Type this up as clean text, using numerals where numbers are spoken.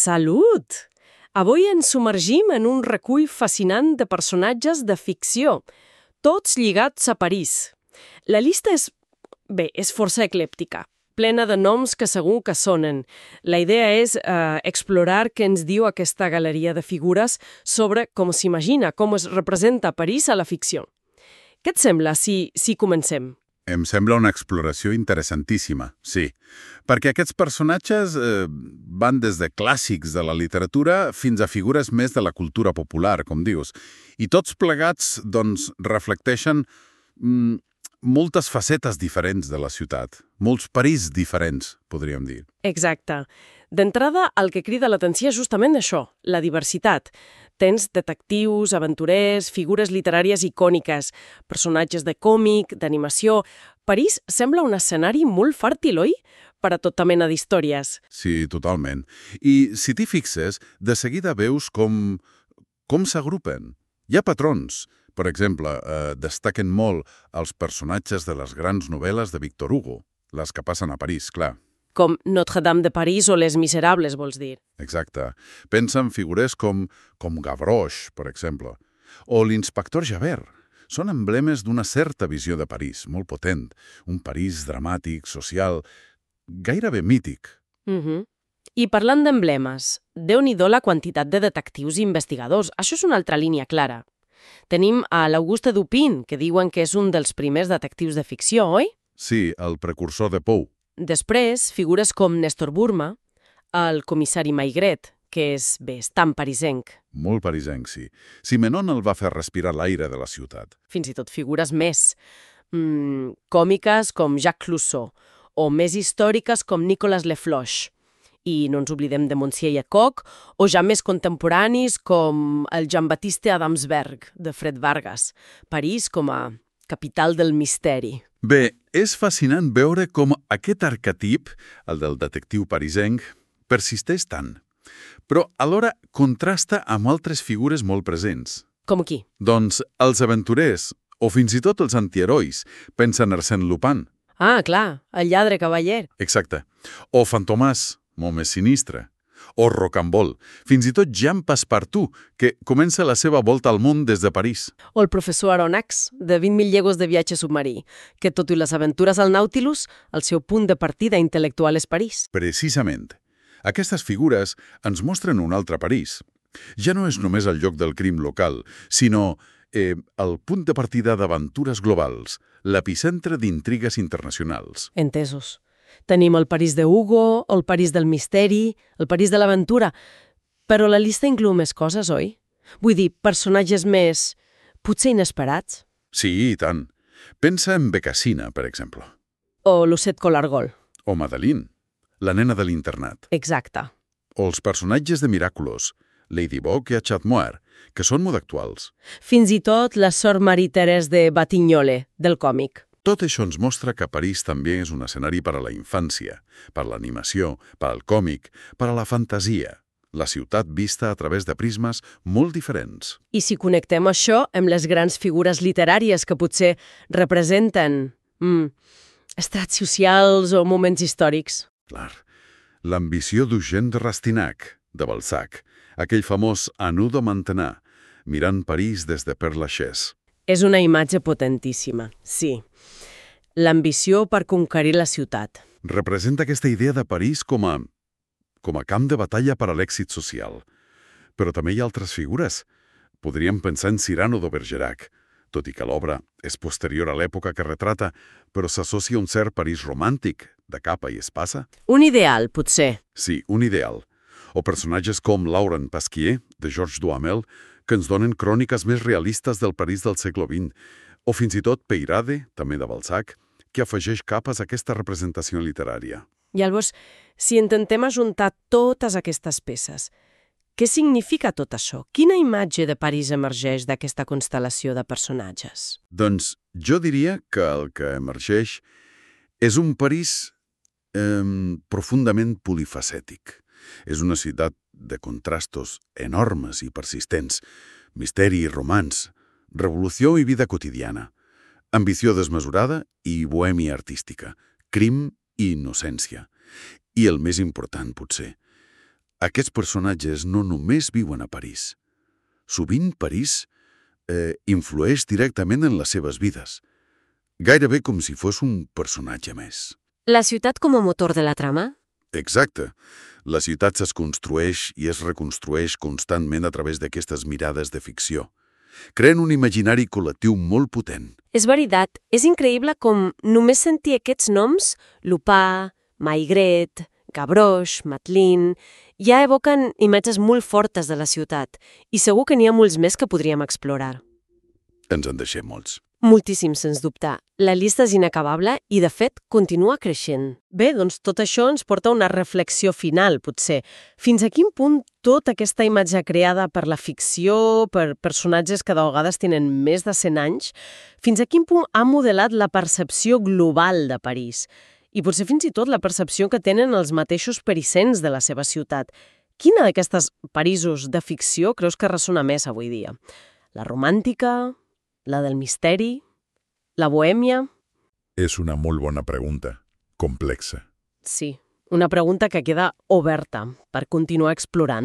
Salut! Avui ens submergim en un recull fascinant de personatges de ficció, tots lligats a París. La llista és força eclèptica, plena de noms que segur que sonen. La idea és explorar què ens diu aquesta galeria de figures sobre com s'imagina, com es representa París a la ficció. Què et sembla si comencem? Em sembla una exploració interessantíssima, sí. Perquè aquests personatges van des de clàssics de la literatura fins a figures més de la cultura popular, com dius. I tots plegats, doncs, reflecteixen moltes facetes diferents de la ciutat. Molts París diferents, podríem dir. Exacte. D'entrada, el que crida l'atenció és justament això, la diversitat. Tens detectius, aventurers, figures literàries icòniques, personatges de còmic, d'animació. París sembla un escenari molt fèrtil, oi? Per a tota mena d'històries. Sí, totalment. I si t'hi fixes, de seguida veus com s'agrupen. Hi ha patrons. Per exemple, destaquen molt els personatges de les grans novel·les de Victor Hugo, les que passen a París, clar. Com Notre-Dame de París o Les Miserables, vols dir? Exacte. Pensa en figures com Gavroche, per exemple, o l'inspector Javert. Són emblemes d'una certa visió de París, molt potent. Un París dramàtic, social, gairebé mític. I parlant d'emblemes, déu-n'hi-do la quantitat de detectius i investigadors. Això és una altra línia clara. Tenim a l'Auguste Dupin, que diuen que és un dels primers detectius de ficció, oi? Sí, el precursor de Poe. Després, figures com Néstor Burma, el comissari Maigret, que és tan parisenc. Molt parisenc, sí. Simenon el va fer respirar l'aire de la ciutat. Fins i tot figures més còmiques com Jacques Clouseau, o més històriques com Nicolas Le Floch. I no ens oblidem de Monsieur Lecoq, o ja més contemporanis com el Jean-Baptiste Adamsberg, de Fred Vargas. París com a capital del misteri. Bé, és fascinant veure com aquest arquetip, el del detectiu parisenc, persisteix tant. Però alhora contrasta amb altres figures molt presents. Com qui? Doncs els aventurers, o fins i tot els antiherois, pensa en Arsène Lupin. Ah, clar, el lladre cavaller. Exacte. O Fantomas, molt més sinistre. O Rocambole, fins i tot Jean Passepartout, que comença la seva volta al món des de París. O el professor Aronnax, de 20.000 llegües de viatge submarí, que tot i les aventures al Nautilus, el seu punt de partida intel·lectual és París. Precisament. Aquestes figures ens mostren un altre París. Ja no és només el lloc del crim local, sinó el punt de partida d'aventures globals, l'epicentre d'intrigues internacionals. Entesos. Tenim el París de Hugo, el París del misteri, el París de l'aventura, però la llista inclou més coses, oi? Vull dir, personatges més, potser inesperats. Sí, i tant. Pensa en Becassina, per exemple. O Lucette Colargol. O Madeleine, la nena de l'internat. Exacte. O els personatges de Miraculous, Ladybug i Chatmoir, que són molt actuals. Fins i tot la sort Marie-Thérèse de Batignolles, del còmic. Tot això ens mostra que París també és un escenari per a la infància, per l'animació, per al còmic, per a la fantasia. La ciutat vista a través de prismes molt diferents. I si connectem això amb les grans figures literàries que potser representen estrats socials o moments històrics. Clar. L'ambició d'Eugène de Rastignac, de Balzac, aquell famós Anu de Mantenar, mirant París des de Père Lachaise. És una imatge potentíssima, sí. L'ambició per conquerir la ciutat. Representa aquesta idea de París com a camp de batalla per a l'èxit social. Però també hi ha altres figures. Podríem pensar en Cyrano de Bergerac, tot i que l'obra és posterior a l'època que retrata, però s'associa a un cert París romàntic, de capa i espasa. Un ideal, potser. Sí, un ideal. O personatges com Laurent Pasquier, de Georges Duhamel, que ens donen cròniques més realistes del París del segle XX, o fins i tot Peyrade, també de Balzac, que afegeix capes a aquesta representació literària. Llavors, si intentem ajuntar totes aquestes peces, què significa tot això? Quina imatge de París emergeix d'aquesta constel·lació de personatges? Doncs jo diria que el que emergeix és un París profundament polifacètic. És una ciutat de contrastos enormes i persistents, misteri i romans, revolució i vida quotidiana, ambició desmesurada i bohèmia artística, crim i innocència. I el més important, potser, Aquests personatges no només viuen a París. Sovint París influeix directament en les seves vides, gairebé com si fos un personatge més. La ciutat com a motor de la trama? Exacte. La ciutat es construeix i es reconstrueix constantment a través d'aquestes mirades de ficció. Creen un imaginari col·lectiu molt potent. És veritat, és increïble com només sentir aquests noms, Lupin, Maigret, Gavroche, Madeline, ja evoquen imatges molt fortes de la ciutat i segur que n'hi ha molts més que podríem explorar. Ens en deixem molts. Moltíssim, sens dubte. La llista és inacabable i, de fet, continua creixent. Bé, doncs tot això ens porta a una reflexió final, potser. Fins a quin punt tota aquesta imatge creada per la ficció, per personatges que de vegades tenen més de 100 anys, fins a quin punt ha modelat la percepció global de París? I potser fins i tot la percepció que tenen els mateixos parisens de la seva ciutat. Quina d'aquestes Parisos de ficció creus que ressona més avui dia? La romàntica? La del misteri? La bohèmia? És una molt bona pregunta, complexa. Sí, una pregunta que queda oberta per continuar explorant.